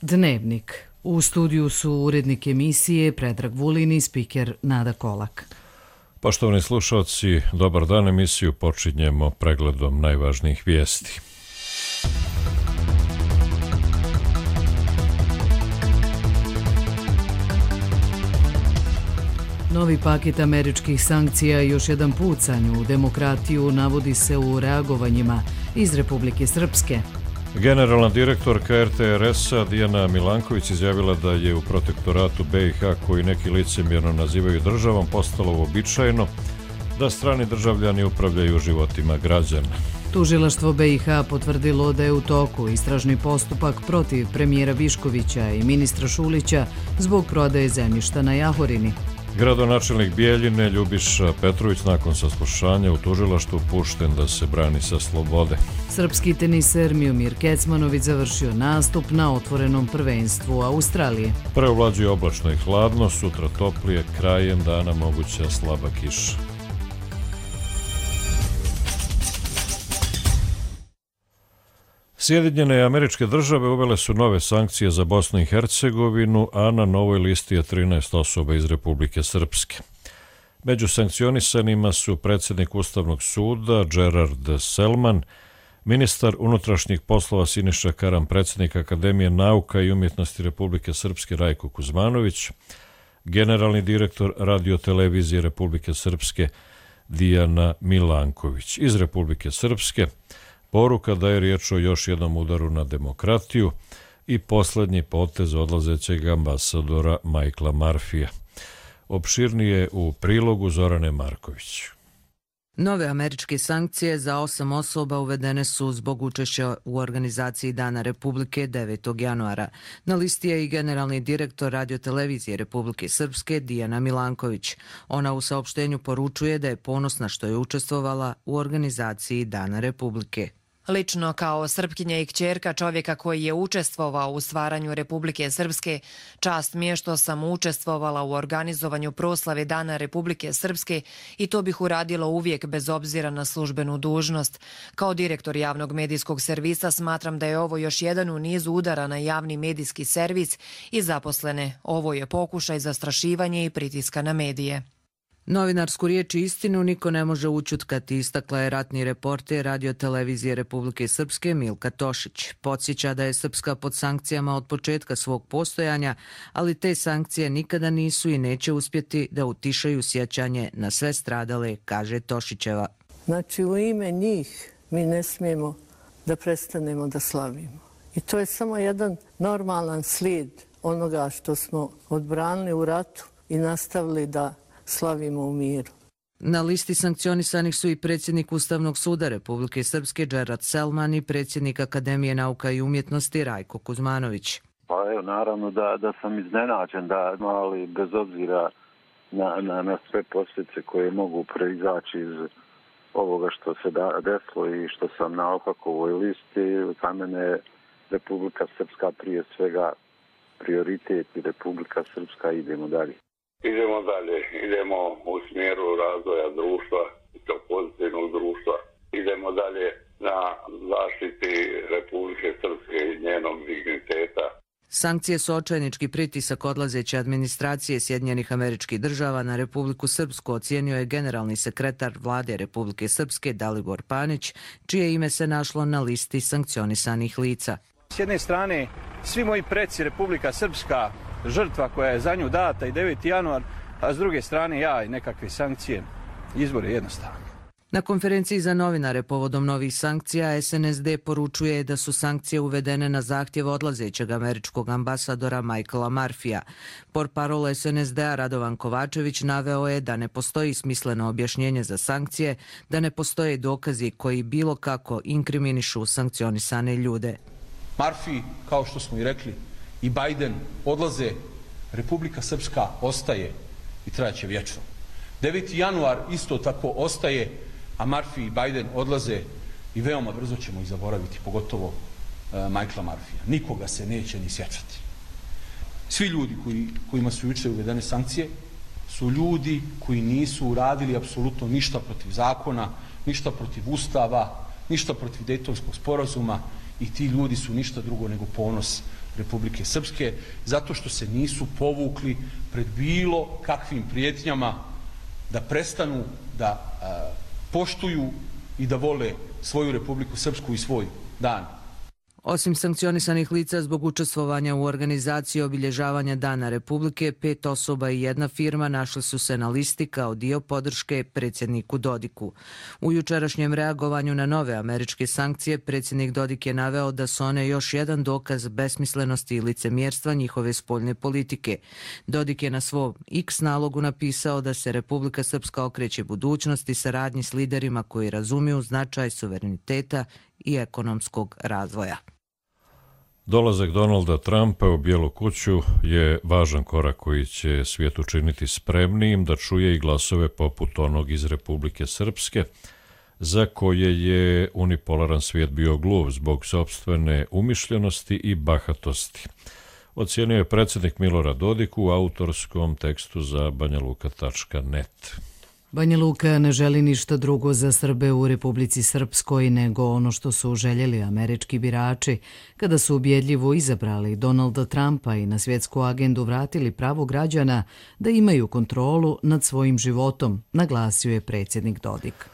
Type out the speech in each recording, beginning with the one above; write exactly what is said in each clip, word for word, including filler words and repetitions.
Dnevnik. U studiju su urednik emisije Predrag Vulin i spiker Nada Kolak. Poštovani slušalci, dobar dan. Emisiju počinjemo pregledom najvažnijih vijesti. Novi paket američkih sankcija i još jedan pucanj u demokratiju navodi se u reagovanjima iz Republike Srpske. Generalna direktorka er te er es-a Dijana Milanković izjavila da je u protektoratu be i ha, koji neki licemjerno nazivaju državom, postalo uobičajeno da strani državljani upravljaju životima građana. Tužilaštvo be i ha potvrdilo da je u toku istražni postupak protiv premijera Viškovića i ministra Šulića zbog prodaje zemljišta na Jahorini. Gradonačelnik Bijeljine Ljubiša Petrović nakon saslušanja u tužilaštvu pušten da se brani sa slobode. Srpski teniser Miomir Kecmanović završio nastup na otvorenom prvenstvu Australije. Preovlađuje oblačno i hladno, sutra toplije, krajem dana moguća slaba kiša. Sjedinjene Američke Države uvele su nove sankcije za Bosnu i Hercegovinu, a na novoj listi je trinaest osoba iz Republike Srpske. Među sankcionisanima su predsjednik Ustavnog suda Gerard Selman, ministar unutrašnjih poslova Siniša Karam, predsjednik Akademije nauka i umjetnosti Republike Srpske Rajko Kuzmanović, generalni direktor radiotelevizije Republike Srpske Dijana Milanković. Iz Republike Srpske poruka da je riječ o još jednom udaru na demokratiju i posljednji potez odlazećeg ambasadora Michaela Murphyja. Opširnije u prilogu Zorane Marković. Nove američke sankcije za osam osoba uvedene su zbog učešća u organizaciji Dana Republike devetog januara. Na listi je i generalni direktor radiotelevizije Republike Srpske Dijana Milanković. Ona u saopštenju poručuje da je ponosna što je učestvovala u organizaciji Dana Republike. Lično kao Srpkinja i kćerka čovjeka koji je učestvovao u stvaranju Republike Srpske, čast mi je što sam učestvovala u organizovanju proslave Dana Republike Srpske i to bih uradila uvijek bez obzira na službenu dužnost. Kao direktor javnog medijskog servisa smatram da je ovo još jedan u nizu udara na javni medijski servis i zaposlene. Ovo je pokušaj zastrašivanja i pritiska na medije. Novinarsku riječ i istinu niko ne može ućutkati, istakla je ratni reporter radiotelevizije Republike Srpske Milka Tošić. Podsjeća da je Srpska pod sankcijama od početka svog postojanja, ali te sankcije nikada nisu i neće uspjeti da utišaju sjećanje na sve stradale, kaže Tošićeva. Znači u ime njih mi ne smijemo da prestanemo da slavimo. I to je samo jedan normalan slijed onoga što smo odbranili u ratu i nastavili da slavimo u miru. Na listi sankcionisanih su i predsjednik Ustavnog suda Republike Srpske Gerard Selman i predsjednik Akademije nauka i umjetnosti Rajko Kuzmanović. Pa evo, naravno da, da sam iznenađen, da, ali bez obzira na, na, na sve posljedice koje mogu proizaći iz ovoga što se da, desilo i što sam na Opakovoj listi, za mene je Republika Srpska prije svega prioritet i Republika Srpska idemo dalje. Idemo dalje, idemo u smjeru razvoja društva, kao pozitivnog društva. Idemo dalje na zaštiti Republike Srpske i njenog digniteta. Sankcije su očajnički pritisak odlazeće administracije Sjedinjenih Američkih Država na Republiku Srpsku, ocijenio je generalni sekretar vlade Republike Srpske Dalibor Panić, čije ime se našlo na listi sankcionisanih lica. S jedne strane, svi moji preci Republika Srpska, žrtva koja je za nju data i deveti januar, a s druge strane ja i nekakve sankcije. Izbor je jednostavan. Na konferenciji za novinare povodom novih sankcija es en es de poručuje da su sankcije uvedene na zahtjev odlazećeg američkog ambasadora Michaela Murphyja. Portparol es en es de-a Radovan Kovačević naveo je da ne postoji smisleno objašnjenje za sankcije, da ne postoje dokazi koji bilo kako inkriminišu sankcionisane ljude. Murphy, kao što smo i rekli, i Biden odlaze, Republika Srpska ostaje i trajaće vječno. deveti januar isto tako ostaje, a Murphy i Biden odlaze i veoma brzo ćemo ih zaboraviti, pogotovo uh, Michaela Murphyja. Nikoga se neće ni sjećati. Svi ljudi koji, kojima su jučer uvedene sankcije su ljudi koji nisu uradili apsolutno ništa protiv zakona, ništa protiv ustava, ništa protiv Dejtonskog sporazuma i ti ljudi su ništa drugo nego ponos Republike Srpske, zato što se nisu povukli pred bilo kakvim prijetnjama da prestanu da a, poštuju i da vole svoju Republiku Srpsku i svoj dan. Osim sankcionisanih lica zbog učestvovanja u organizaciji obilježavanja Dana Republike, pet osoba i jedna firma našli su se na listi kao dio podrške predsjedniku Dodiku. U jučerašnjem reagovanju na nove američke sankcije, predsjednik Dodik je naveo da su one još jedan dokaz besmislenosti i licemjerstva njihove spoljne politike. Dodik je na svom X nalogu napisao da se Republika Srpska okreće budućnosti i saradnji s liderima koji razumiju značaj suvereniteta i ekonomskog razvoja. Dolazak Donalda Trumpa u Bijelu kuću je važan korak koji će svijet učiniti spremnijim da čuje i glasove poput onog iz Republike Srpske, za koje je unipolaran svijet bio gluv zbog sopstvene umišljenosti i bahatosti. Ocijenio je predsjednik Milorad Dodik u autorskom tekstu za banjaluka tačka net. Banja Luka ne želi ništa drugo za Srbe u Republici Srpskoj nego ono što su željeli američki birači kada su ubjedljivo izabrali Donalda Trumpa i na svjetsku agendu vratili pravo građana da imaju kontrolu nad svojim životom, naglasio je predsjednik Dodik.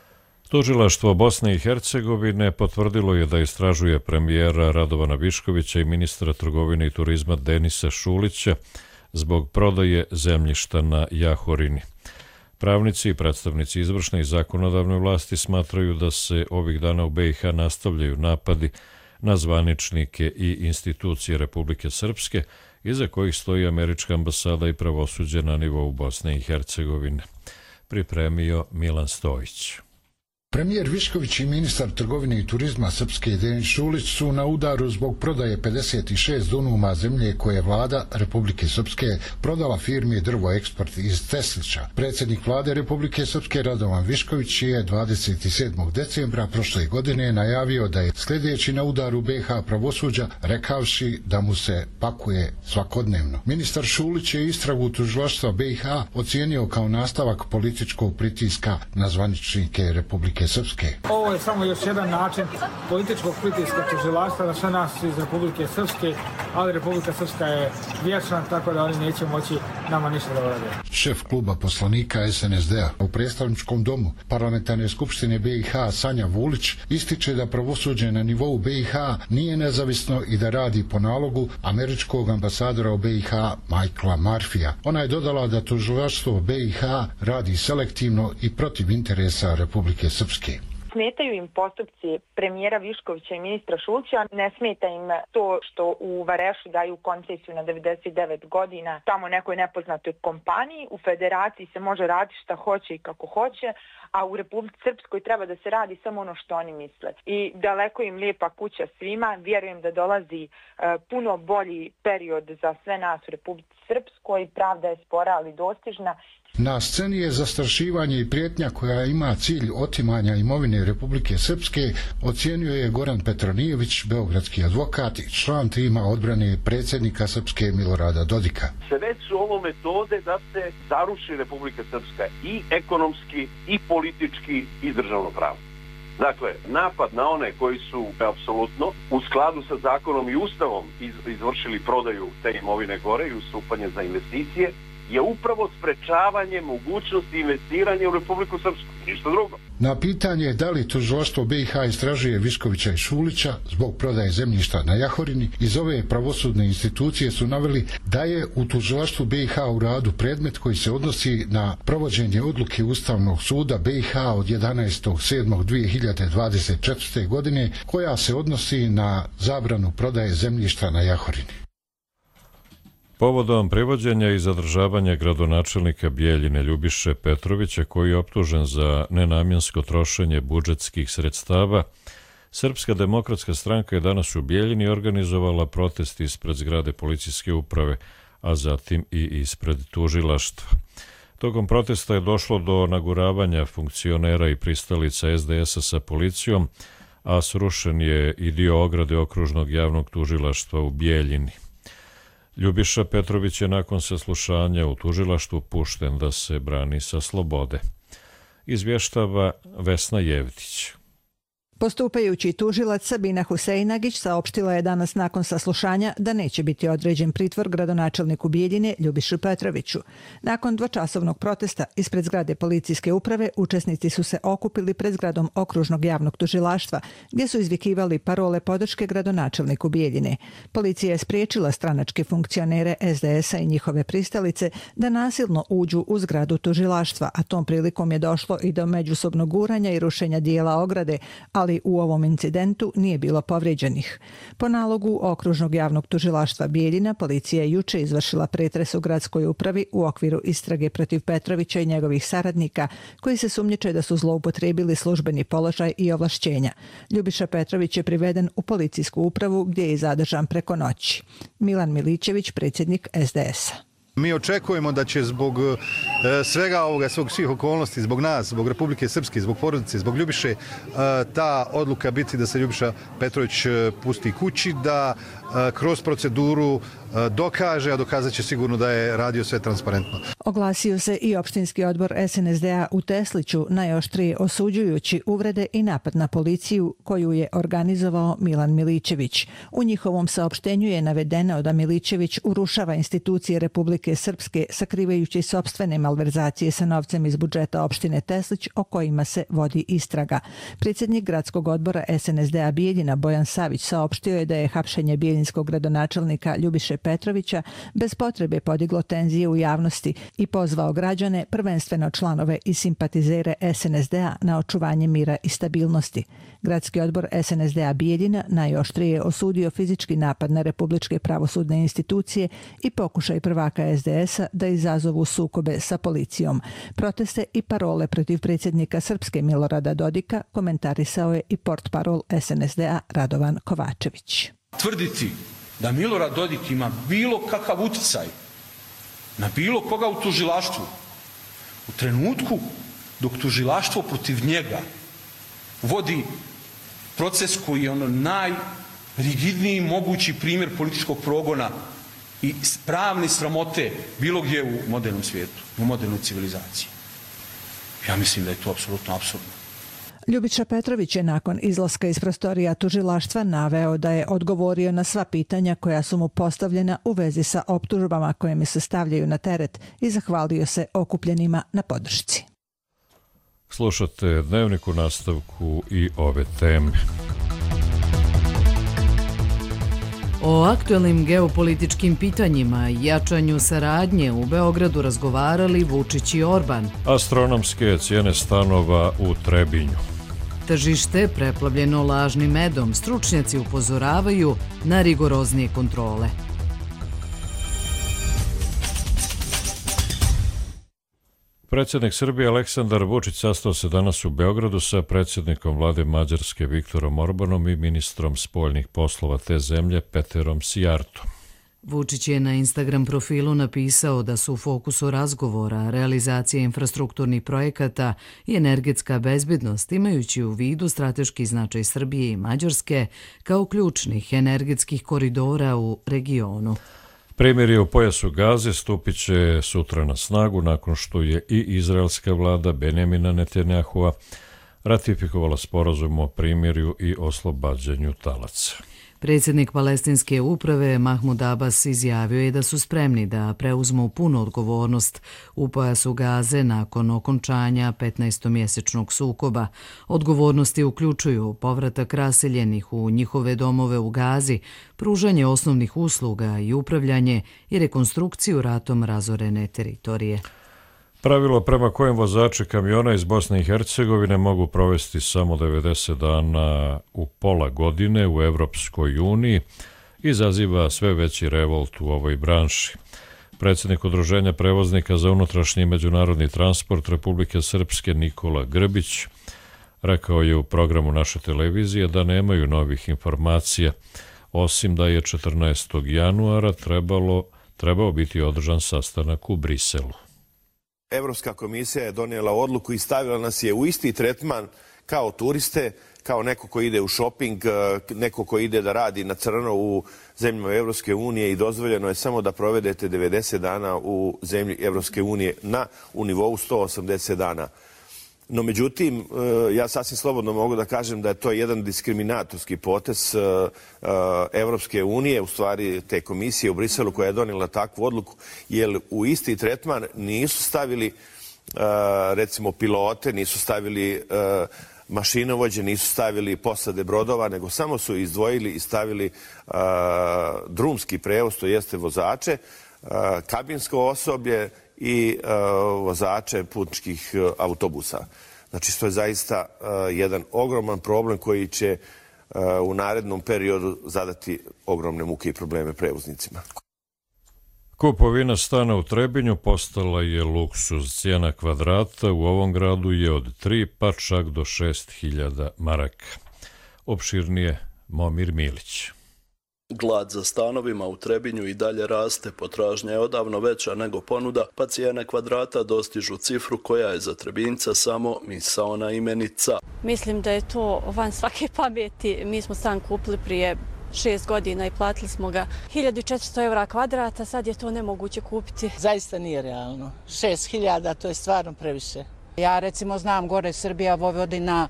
Tužilaštvo Bosne i Hercegovine potvrdilo je da istražuje premijera Radovana Viškovića i ministra trgovine i turizma Denisa Šulića zbog prodaje zemljišta na Jahorini. Pravnici i predstavnici izvršne i zakonodavne vlasti smatraju da se ovih dana u B i H nastavljaju napadi na zvaničnike i institucije Republike Srpske, iza kojih stoji američka ambasada i pravosuđe na nivou Bosne i Hercegovine. Pripremio Milan Stojić. Premijer Višković i ministar trgovine i turizma Srpske Denis Šulić su na udaru zbog prodaje pedeset šest dunuma zemlje koje je vlada Republike Srpske prodala firmi Drvo Eksport iz Teslića. Predsjednik vlade Republike Srpske Radovan Višković je dvadeset sedmog decembra prošle godine najavio da je sljedeći na udaru B i H pravosuđa, rekavši da mu se pakuje svakodnevno. Ministar Šulić je istragu tužilaštva B i H ocijenio kao nastavak političkog pritiska na zvaničnike Republike Srpske. Ovo je samo još jedan način političkog pritiska tužilaštva na sve nas iz Republike Srpske, ali Republika Srpska je vječna, tako da oni neće moći nama ništa da urade. Šef kluba poslanika S N S D-a u predstavničkom domu Parlamentarne skupštine B i H Sanja Vulić ističe da pravosuđe na nivou B i H nije nezavisno i da radi po nalogu američkog ambasadora u B i H Michaela Murphyja. Ona je dodala da tužilaštvo B i H radi selektivno i protiv interesa Republike Srpske. Smetaju im postupci premijera Viškovića i ministra Šulića, ne smeta im to što u Varešu daju koncesiju na devedeset devet godina tamo nekoj nepoznatoj kompaniji. U federaciji se može raditi šta hoće i kako hoće, a u Republici Srpskoj treba da se radi samo ono što oni misle. I daleko im lijepa kuća svima, vjerujem da dolazi e, puno bolji period za sve nas u Republici Srpskoj, pravda je spora ali dostižna. Na sceni je zastrašivanje i prijetnja koja ima cilj otimanja imovine Republike Srpske, ocijenio je Goran Petronijević, beogradski advokat i član tima odbrane predsjednika Srpske Milorada Dodika. Sve su ovo metode da se zaruši Republika Srpska i ekonomski, i politički, i državno pravo. Dakle, napad na one koji su apsolutno u skladu sa zakonom i ustavom izvršili prodaju te imovine gore i ustupanje za investicije, je upravo sprečavanje mogućnosti investiranja u Republiku Srpsku, ništa drugo. Na pitanje da li tužilaštvo B i H istražuje Viškovića i Šulića zbog prodaje zemljišta na Jahorini, iz ove pravosudne institucije su naveli da je u tužilaštvu B i H u radu predmet koji se odnosi na provođenje odluke Ustavnog suda B i H od jedanaestog sedmog dvije hiljade dvadeset četvrte. godine koja se odnosi na zabranu prodaje zemljišta na Jahorini. Povodom privođenja i zadržavanja gradonačelnika Bijeljine Ljubiše Petrovića, koji je optužen za nenamjensko trošenje budžetskih sredstava, Srpska demokratska stranka je danas u Bijeljini organizovala protest ispred zgrade policijske uprave, a zatim i ispred tužilaštva. Tokom protesta je došlo do naguravanja funkcionera i pristalica S D S-a sa policijom, a srušen je i dio ograde okružnog javnog tužilaštva u Bijeljini. Ljubiša Petrović je nakon saslušanja u tužilaštvu pušten da se brani sa slobode. Izvještava Vesna Jevtić. Postupajući tužilac Sabina Huseinagić saopštila je danas nakon saslušanja da neće biti određen pritvor gradonačelniku Bijeljine Ljubiši Petroviću. Nakon dvočasovnog protesta ispred zgrade policijske uprave učesnici su se okupili pred zgradom okružnog javnog tužilaštva gdje su izvikivali parole podrške gradonačelniku Bijeljine. Policija je spriječila stranačke funkcionere es de es a i njihove pristalice da nasilno uđu u zgradu tužilaštva, a tom prilikom je došlo i do međusobnog guranja i rušenja dijela ograde, ali u ovom incidentu nije bilo povrijeđenih. Po nalogu okružnog javnog tužilaštva Bijeljina, policija je juče izvršila pretres u gradskoj upravi u okviru istrage protiv Petrovića i njegovih saradnika, koji se sumnjiče da su zloupotrijebili službeni položaj i ovlašćenja. Ljubiša Petrović je priveden u policijsku upravu gdje je zadržan preko noći. Milan Milićević, predsjednik es de es a. Mi očekujemo da će zbog e, svega ovoga, svog svih okolnosti, zbog nas, zbog Republike Srpske, zbog porodice, zbog Ljubiše, e, ta odluka biti da se Ljubiša Petrović e, pusti kući, da e, kroz proceduru e, dokaže, a dokazat će sigurno da je radio sve transparentno. Oglasio se i opštinski odbor es en es de a u Tesliću, najoštrije osuđujući uvrede i napad na policiju koju je organizovao Milan Milićević. U njihovom saopštenju je navedeno da Milićević urušava institucije Republike Srpske sakrivajući sopstvene malverzacije sa novcem iz budžeta opštine Teslić o kojima se vodi istraga. Predsjednik gradskog odbora es en es de a Bijeljina Bojan Savić saopštio je da je hapšenje bijeljinskog gradonačelnika Ljubiše Petrovića bez potrebe podiglo tenzije u javnosti i pozvao građane, prvenstveno članove i simpatizere es en es de a, na očuvanje mira i stabilnosti. Gradski odbor es en es de a Bijeljina najoštrije je osudio fizički napad na republičke pravosudne institucije i pokušaj prvaka es de es a da izazovu sukobe sa policijom. Proteste i parole protiv predsjednika Srpske Milorada Dodika komentarisao je i portparol es en es de a Radovan Kovačević. Tvrditi da Milorad Dodik ima bilo kakav utjecaj na bilo koga u tužilaštvu u trenutku dok tužilaštvo protiv njega vodi proces koji je ono najrigidniji mogući primjer političkog progona i pravne sramote bilo gdje u modernom svijetu, u modernoj civilizaciji. Ja mislim da je to apsolutno apsurdno. Ljubiša Petrović je nakon izlaska iz prostorija tužilaštva naveo da je odgovorio na sva pitanja koja su mu postavljena u vezi sa optužbama koje mi se stavljaju na teret i zahvalio se okupljenima na podršci. Slušate Dnevnik u nastavku i ove teme. O aktuelnim geopolitičkim pitanjima i jačanju saradnje u Beogradu razgovarali Vučić i Orban. Astronomske cijene stanova u Trebinju. Tržište preplavljeno lažnim medom, stručnjaci upozoravaju na rigoroznije kontrole. Predsjednik Srbije Aleksandar Vučić sastao se danas u Beogradu sa predsjednikom vlade Mađarske Viktorom Orbanom i ministrom spoljnih poslova te zemlje Peterom Sijartom. Vučić je na Instagram profilu napisao da su u fokusu razgovora realizacija infrastrukturnih projekata i energetska bezbednost, imajući u vidu strateški značaj Srbije i Mađarske kao ključnih energetskih koridora u regionu. Primirje u pojasu Gaze stupit će sutra na snagu nakon što je i izraelska vlada Benjamina Netanjahua ratifikovala sporazum o primirju i oslobađanju talaca. Predsjednik palestinske uprave Mahmud Abbas izjavio je da su spremni da preuzmu punu odgovornost u pojasu Gaze nakon okončanja petnaestomjesečnog sukoba. Odgovornosti uključuju povratak raseljenih u njihove domove u Gazi, pružanje osnovnih usluga i upravljanje i rekonstrukciju ratom razorene teritorije. Pravilo prema kojem vozači kamiona iz Bosne i Hercegovine mogu provesti samo devedeset dana u pola godine u Evropskoj uniji izaziva sve veći revolt u ovoj branši. Predsjednik Udruženja prevoznika za unutrašnji i međunarodni transport Republike Srpske Nikola Grbić rekao je u programu naše televizije da nemaju novih informacija, osim da je četrnaestog januara trebalo, trebao biti održan sastanak u Briselu. Evropska komisija je donijela odluku i stavila nas je u isti tretman kao turiste, kao neko ko ide u šoping, neko ko ide da radi na crno u zemljama Evropske unije i dozvoljeno je samo da provedete devedeset dana u zemlji Evropske unije na u nivou sto osamdeset dana. No, međutim, ja sasvim slobodno mogu da kažem da je to jedan diskriminatorski potez Evropske unije, u stvari te komisije u Briselu koja je donijela takvu odluku, jer u isti tretman nisu stavili recimo pilote, nisu stavili mašinovođe, nisu stavili posade brodova, nego samo su izdvojili i stavili drumski prevoz, to jeste vozače, kabinsko osoblje i vozače putničkih autobusa. Znači, to je zaista jedan ogroman problem koji će u narednom periodu zadati ogromne muke i probleme prevoznicima. Kupovina stana u Trebinju postala je luksuz. Cijena kvadrata u ovom gradu je od tri pa čak do šest hiljada maraka. Opširnije Momir Milić. Glad za stanovima u Trebinju i dalje raste, potražnja je odavno veća nego ponuda, pa cijene kvadrata dostižu cifru koja je za Trebinjca samo misaona imenica. Mislim da je to van svake pameti. Mi smo stan kupili prije šest godina i platili smo ga hiljadu četiristo eura kvadrata, sad je to nemoguće kupiti. Zaista nije realno. šest hiljada, to je stvarno previše. Ja recimo znam gore Srbija, Vojvodina,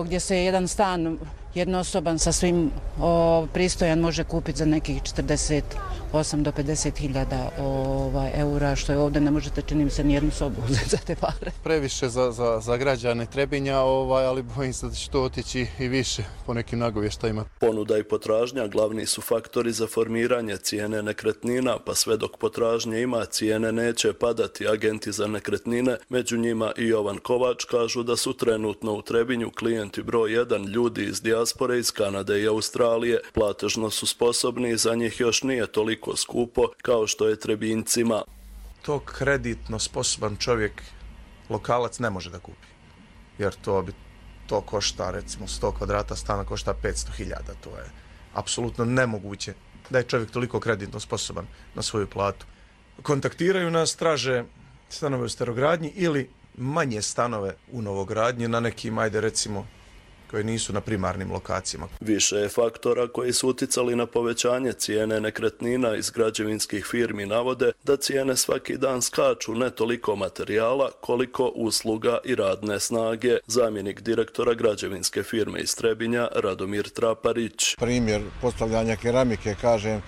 gdje se jedan stan jednosoban sa svim o, pristojan može kupiti za nekih četrdeset osam do pedeset hiljada ovaj, eura, što je ovdje ne možete, čini mi se, nijednu sobu uzeti za te pare. Previše za, za, za građane Trebinja, ovaj, ali bojim se da će to otići i više po nekim nagovještajima. Ponuda i potražnja glavni su faktori za formiranje cijene nekretnina, pa sve dok potražnje ima, cijene neće padati. Agenti za nekretnine, među njima i Jovan Kovač, kažu da su trenutno u Trebinju klijenti broj jedan ljudi iz dijaspore iz Kanade i Australije. Platežno su sposobni i za njih još nije toliko skupo kao što je Trebinjcima. To kreditno sposoban čovjek, lokalac, ne može da kupi. Jer to bi to košta, recimo sto kvadrata stana košta petsto hiljada. To je apsolutno nemoguće da je čovjek toliko kreditno sposoban na svoju platu. Kontaktiraju nas, traže stanove u starogradnji ili manje stanove u novogradnji na nekim, ajde recimo, koje nisu na primarnim lokacijama. Više je faktora koji su uticali na povećanje cijene nekretnina. Iz građevinskih firmi navode da cijene svaki dan skaču, ne toliko materijala koliko usluga i radne snage. Zamjenik direktora građevinske firme iz Trebinja Radomir Traparić. Primjer postavljanja keramike, kažem,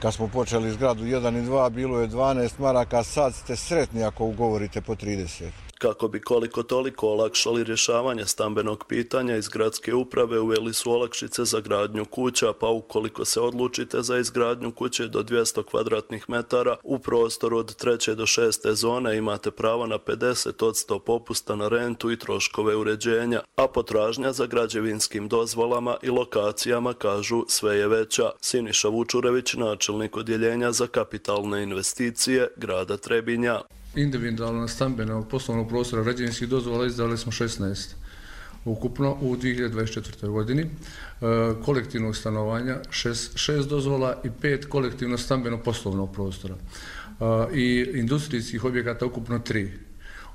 kad smo počeli zgradu jedan i dva, bilo je dvanaest maraka, sad ste sretni ako ugovorite po trideset. Kako bi koliko toliko olakšali rješavanje stambenog pitanja, iz gradske uprave uveli su olakšice za gradnju kuća, pa ukoliko se odlučite za izgradnju kuće do dvjesto kvadratnih metara u prostoru od treće do šeste zone imate pravo na pedeset posto popusta na rentu i troškove uređenja, a potražnja za građevinskim dozvolama i lokacijama, kažu, sve je veća. Siniša Vučurević, načelnik odjeljenja za kapitalne investicije grada Trebinja. Individualno stambeno poslovnog prostora građevinskih dozvola izdali smo šesnaest ukupno u dvije hiljade dvadeset četvrtoj godini, e, kolektivnog stanovanja šest dozvola i pet kolektivno stambeno poslovnog prostora e, i industrijskih objekata ukupno tri.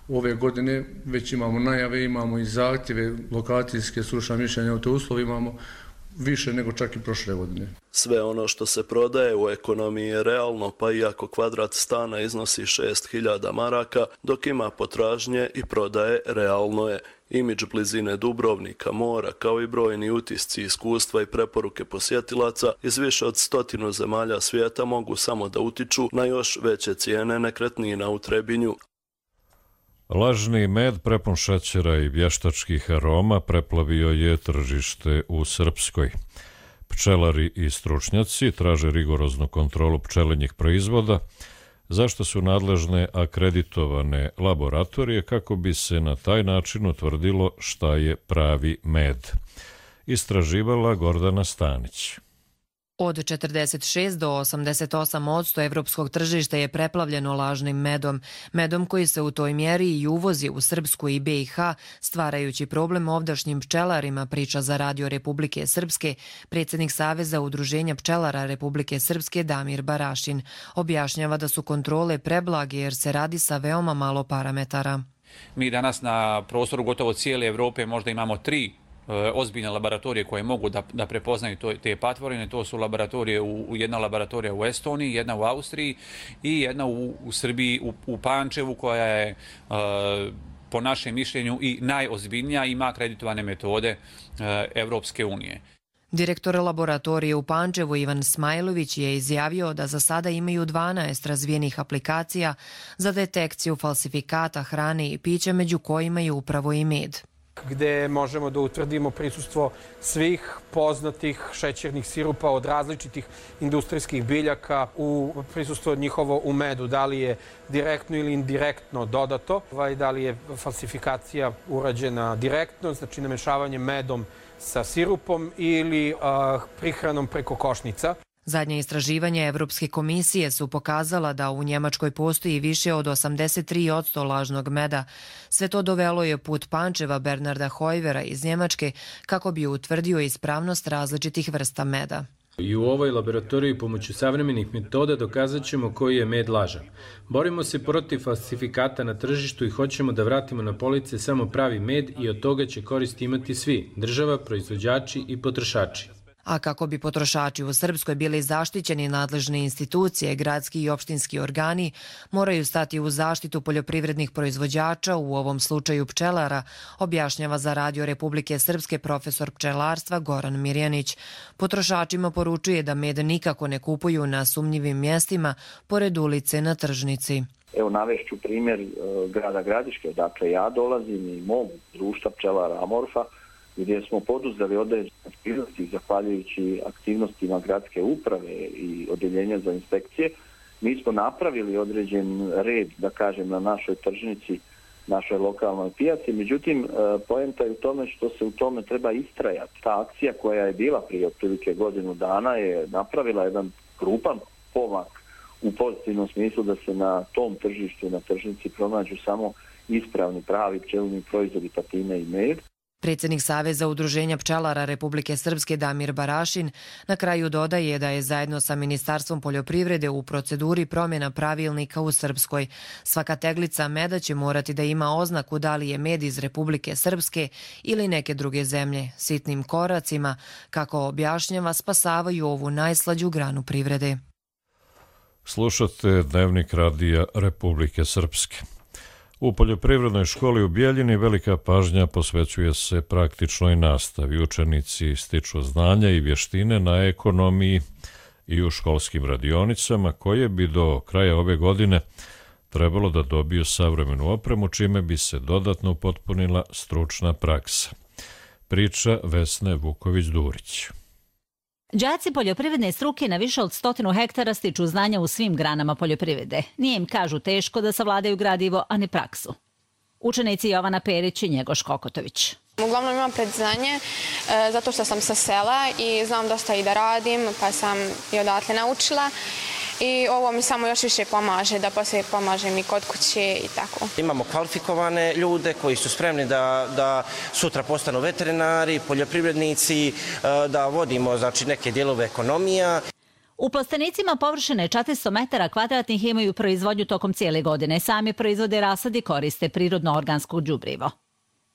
Ove godine već imamo najave, imamo i zahtjeve lokacijske, stručna mišljenja o te uslovi, imamo više nego čak i prošle godine. Sve ono što se prodaje u ekonomiji je realno, pa iako kvadrat stana iznosi šest hiljada maraka, dok ima potražnje i prodaje, realno je. Imidž blizine Dubrovnika, mora, kao i brojni utisci, iskustva i preporuke posjetilaca iz više od stotinu zemalja svijeta mogu samo da utiču na još veće cijene nekretnina u Trebinju. Lažni med prepun šećera i vještačkih aroma preplavio je tržište u Srpskoj. Pčelari i stručnjaci traže rigoroznu kontrolu pčelinjih proizvoda, zašto su nadležne akreditovane laboratorije kako bi se na taj način utvrdilo šta je pravi med. Istraživala Gordana Stanić. Od četrdeset šest do osamdeset osam posto evropskog tržišta je preplavljeno lažnim medom. Medom koji se u toj mjeri i uvozi u Srpsku i be i ha, stvarajući problem ovdašnjim pčelarima, priča za Radio Republike Srpske predsjednik Saveza udruženja pčelara Republike Srpske Damir Barašin. Objašnjava da su kontrole preblage jer se radi sa veoma malo parametara. Mi danas na prostoru gotovo cijele Evrope možda imamo tri ozbiljne laboratorije koje mogu da, da prepoznaju to, te patvorine. To su laboratorije, u, jedna laboratorija u Estoniji, jedna u Austriji i jedna u, u Srbiji, u, u Pančevu, koja je uh, po našem mišljenju i najozbiljnija, ima akreditovane metode Evropske unije. Direktor laboratorije u Pančevu Ivan Smajlović je izjavio da za sada imaju dvanaest razvijenih aplikacija za detekciju falsifikata hrane i pića, među kojima je upravo i med. Gde možemo da utvrdimo prisustvo svih poznatih šećernih sirupa od različitih industrijskih biljaka, u prisustvo njihovo u medu, da li je direktno ili indirektno dodato, da li je falsifikacija urađena direktno, znači namešavanjem medom sa sirupom ili uh, prihranom preko košnica. Zadnje istraživanja Evropske komisije su pokazala da u Njemačkoj postoji više od osamdeset tri posto lažnog meda. Sve to dovelo je put Pančeva Bernarda Hojvera iz Njemačke kako bi utvrdio ispravnost različitih vrsta meda. I u ovoj laboratoriji pomoću savremenih metoda dokazat ćemo koji je med lažan. Borimo se protiv falsifikata na tržištu i hoćemo da vratimo na police samo pravi med i od toga će koristi imati svi, država, proizvođači i potrošači. A kako bi potrošači u Srpskoj bili zaštićeni, nadležne institucije, gradski i opštinski organi moraju stati u zaštitu poljoprivrednih proizvođača, u ovom slučaju pčelara, objašnjava za Radio Republike Srpske profesor pčelarstva Goran Mirjanić. Potrošačima poručuje da med nikako ne kupuju na sumnjivim mjestima pored ulice na tržnici. Evo navešću primjer grada Gradiške, odakle ja dolazim i mog društva pčelara Amorfa, gdje smo poduzeli određene aktivnosti zahvaljujući aktivnostima gradske uprave i odeljenja za inspekcije. Mi smo napravili određen red, da kažem, na našoj tržnici, našoj lokalnoj pijaci. Međutim, poenta je u tome što se u tome treba istrajati. Ta akcija koja je bila prije otprilike godinu dana je napravila jedan krupan pomak u pozitivnom smislu da se na tom tržištu, na tržnici pronađu samo ispravni, pravi pčelni proizvodi, patine i med. Predsjednik Saveza udruženja pčelara Republike Srpske Damir Barašin na kraju dodaje da je zajedno sa Ministarstvom poljoprivrede u proceduri promjena pravilnika u Srpskoj. Svaka teglica meda će morati da ima oznaku da li je med iz Republike Srpske ili neke druge zemlje. Sitnim koracima, kako objašnjava, spasavaju ovu najslađu granu privrede. Slušate Dnevnik Radija Republike Srpske. U poljoprivrednoj školi u Bijeljini velika pažnja posvećuje se praktičnoj nastavi. Učenici stiču znanja i vještine na ekonomiji i u školskim radionicama, koje bi do kraja ove godine trebalo da dobiju savremenu opremu, čime bi se dodatno upotpunila stručna praksa. Priča Vesne Vuković-Durić. Đaci poljoprivredne struke na više od stotinu hektara stiču znanja u svim granama poljoprivrede. Nije im, kažu, teško da savladaju gradivo, a ne praksu. Učenici Jovana Perić i Njegoš Kokotović. Uglavnom imam predznanje e, zato što sam sa sela i znam dosta i da radim, pa sam i odatle naučila. I ovo mi samo još više pomaže, da poslije pomažem i kod kuće i tako. Imamo kvalifikovane ljude koji su spremni da, da sutra postanu veterinari, poljoprivrednici, da vodimo znači, neke dijelove ekonomija. U plastenicima površine četiristo metara kvadratnih imaju proizvodnju tokom cijele godine. Sami proizvode rasad i koriste prirodno organsko đubrivo.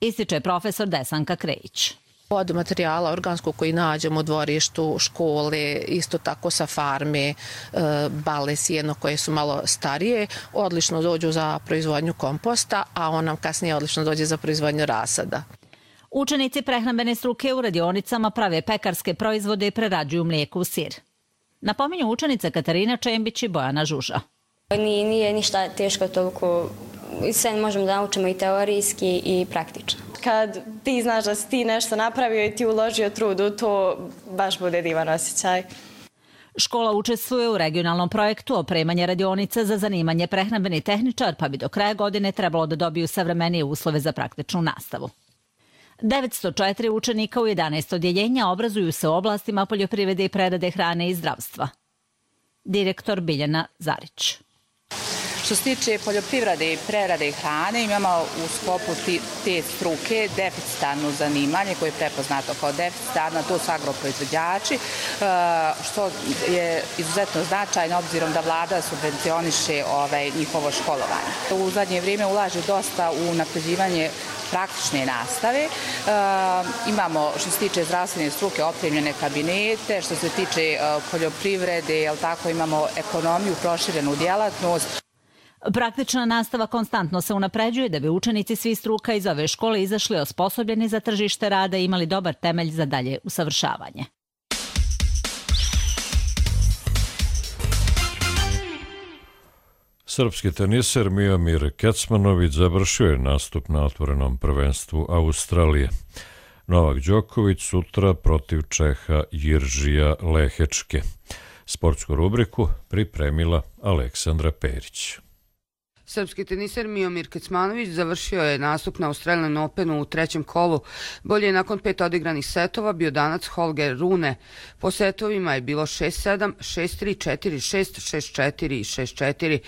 Ističe profesor Desanka Krejić. Od materijala organskog koji nađemo u dvorištu, škole, isto tako sa farme, bale, sjeno koje su malo starije, odlično dođu za proizvodnju komposta, a on nam kasnije odlično dođe za proizvodnju rasada. Učenici prehrambene struke u radionicama prave pekarske proizvode i prerađuju mlijeko u sir. Napominju učenica Katarina Čembić i Bojana Žuža. Nije, nije ništa teško toliko, sve možemo da naučimo i teorijski i praktično. Kad ti znaš da si ti nešto napravio i ti uložio trud u to, baš bude divan osjećaj. Škola učestvuje u regionalnom projektu opremanja radionica za zanimanje prehrambeni tehničar, pa bi do kraja godine trebalo da dobiju savremenije uslove za praktičnu nastavu. devetsto četiri učenika u jedanaest odjeljenja obrazuju se u oblastima poljoprivrede i prerade hrane i zdravstva. Direktor Biljana Zarić. Što se tiče poljoprivrede i prerade hrane, imamo u sklopu te struke deficitarno zanimanje koje je prepoznato kao deficitarno, to su agroproizvođači, što je izuzetno značajno obzirom da vlada subvencioniše ovaj, njihovo školovanje. U zadnje vrijeme ulaže dosta u napređivanje praktične nastave. E, imamo, što se tiče zdravstvene struke, opremljene kabinete, što se tiče e, poljoprivrede, jel tako, imamo ekonomiju, proširenu djelatnost. Praktična nastava konstantno se unapređuje da bi učenici svih struka iz ove škole izašli osposobljeni za tržište rada i imali dobar temelj za dalje usavršavanje. Srpski teniser Miomir Kecmanović završio je nastup na otvorenom prvenstvu Australije. Novak Đoković sutra protiv Čeha Jiržija Lehečke. Sportsku rubriku pripremila Aleksandra Perić. Srpski teniser Miomir Kecmanović završio je nastup na Australian Openu u trećem kolu. Bolje je nakon pet odigranih setova bio danac Holger Rune. Po setovima je bilo šest sedam, šest tri, četiri šest, šest četiri i šest četiri.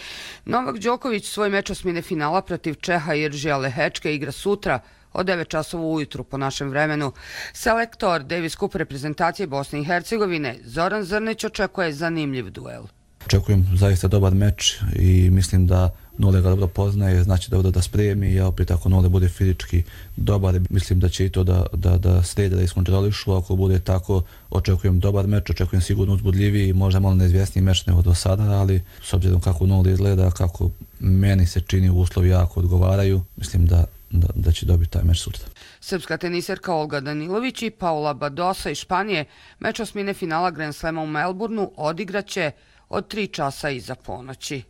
Novak Đoković svoj meč osmine finala protiv Čeha Jiržija Lehečke igra sutra od devet časova ujutru po našem vremenu. Selektor Davis Cup reprezentacije Bosne i Hercegovine Zoran Zrnić očekuje zanimljiv duel. Očekujem zaista dobar meč i mislim da Nole ga dobro poznaje, znači dobro da spremi, ja opet ako Nole bude fizički dobar, mislim da će i to da, da, da srede, da iskontrolišu, ako bude tako, očekujem dobar meč, očekujem sigurno uzbudljiviji, možda malo neizvjesniji meč nego do sada, ali s obzirom kako Nole izgleda, kako meni se čini uslovi jako odgovaraju, mislim da Da, da će dobiti taj meč sutra. Srpska teniserka Olga Danilović i Paula Badosa iz Španije meč osmine finala Grand Slama u Melbourneu odigraće od tri časa iza ponoći.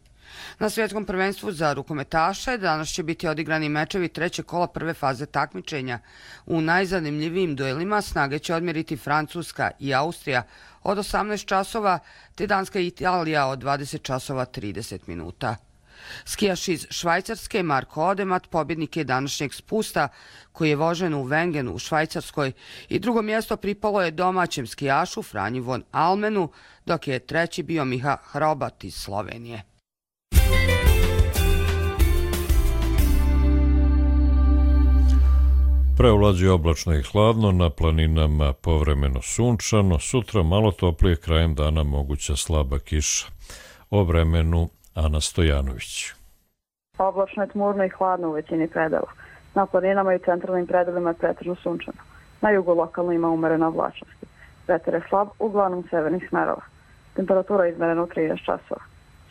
Na svjetskom prvenstvu za rukometaše danas će biti odigrani mečevi trećeg kola prve faze takmičenja. U najzanimljivijim duelima snage će odmjeriti Francuska i Austrija od osamnaest časova, te Danska i Italija od dvadeset časova trideset minuta. Skijaš iz Švajcarske Marko Odemat pobjednik je današnjeg spusta koji je vožen u Wengenu u Švajcarskoj i drugo mjesto pripalo je domaćem skijašu Franji von Almenu, dok je treći bio Miha Hrobat iz Slovenije. Preovlađuje oblačno i hladno, na planinama povremeno sunčano, sutra malo toplije, krajem dana moguća slaba kiša. O vremenu Ana Stojanović. Oblačno je, tmurno i hladno u većini predela. Na planinama i centralnim predelima je pretežno sunčano. Na jugu lokalno ima umerena oblačnosti. Vetar je slab, uglavnom severnih smerova. Temperatura je izmerena u trideset časova.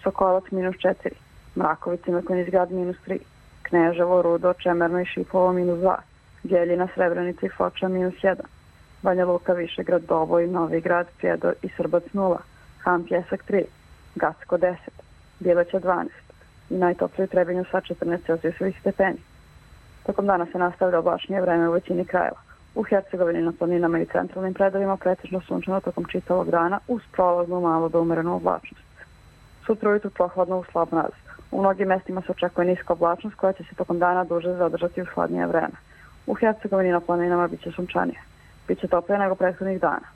Sokolac minus četiri, Mrakovica i Mrkonjić-Grad minus tri, Kneževo, Rudo, Čemerno i Šipovo minus dva, Bjeljina, Srebrenica i Foča minus jedan, Banja Luka, Višegrad, Doboj, Novi Grad, Prijedor i Srbac nula, Han Pjesak tri, Gacko deset, Bileća dvanaest i najtoplije u Trebinju sa četrnaest celzijusovih stepeni. Tokom dana se nastavlja oblačnije vreme u većini krajeva. U Hercegovini na planinama i centralnim predelima pretežno sunčano tokom čitavog dana uz prolaznu malo do umerenu oblačnost. Sutra ujutru prohladno u slab mraz. U mnogim mestima se očekuje niska oblačnost koja će se tokom dana duže zadržati u hladnije vreme. U Hercegovini na planinama biće sunčanije. Biće toplije nego prethodnih dana.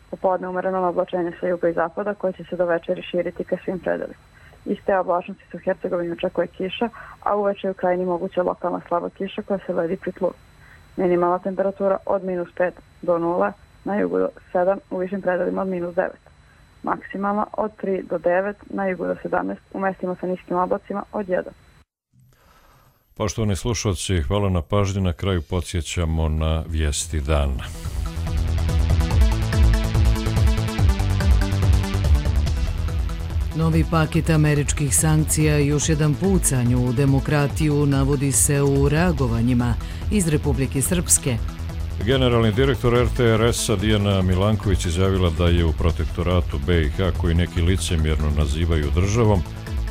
Popodne umereno oblačenje sa juga i zapada koje će se do večeri širiti ka svim predelima. Iz te oblačnosti se u Hercegovini očekuje kiša, a uveče je u krajini moguća lokalna slaba kiša koja se ledi pri tlu. Minimalna temperatura od minus pet do nula, na jugu do sedam, u višim predelima od minus devet. Maksimalna od tri do devet, na jugu do sedamnaest, u mestima sa niskim oblacima od jedan. Poštovani slušalci, hvala na pažnji. Na kraju podsjećamo na vijesti dana. Novi paket američkih sankcija i još jedan pucanj u demokratiju navodi se u reagovanjima iz Republike Srpske. Generalni direktor er te er es-a Dijana Milanković izjavila da je u protektoratu be i ha, koji neki licemjerno nazivaju državom,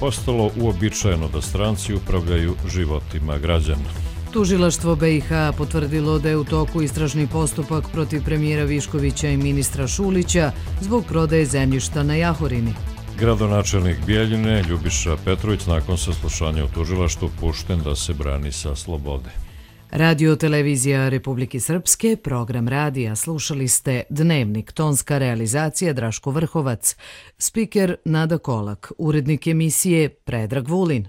postalo uobičajeno da stranci upravljaju životima građana. Tužilaštvo be i ha potvrdilo da je u toku istražni postupak protiv premijera Viškovića i ministra Šulića zbog prodaje zemljišta na Jahorini. Gradonačelnik Bijeljine Ljubiša Petrović nakon saslušanja u tužilaštvu pušten da se brani sa slobode. Radio televizija Republike Srpske, program radija, slušali ste Dnevnik, tonska realizacija Draško Vrhovac, spiker Nada Kolak, urednik emisije Predrag Vulin.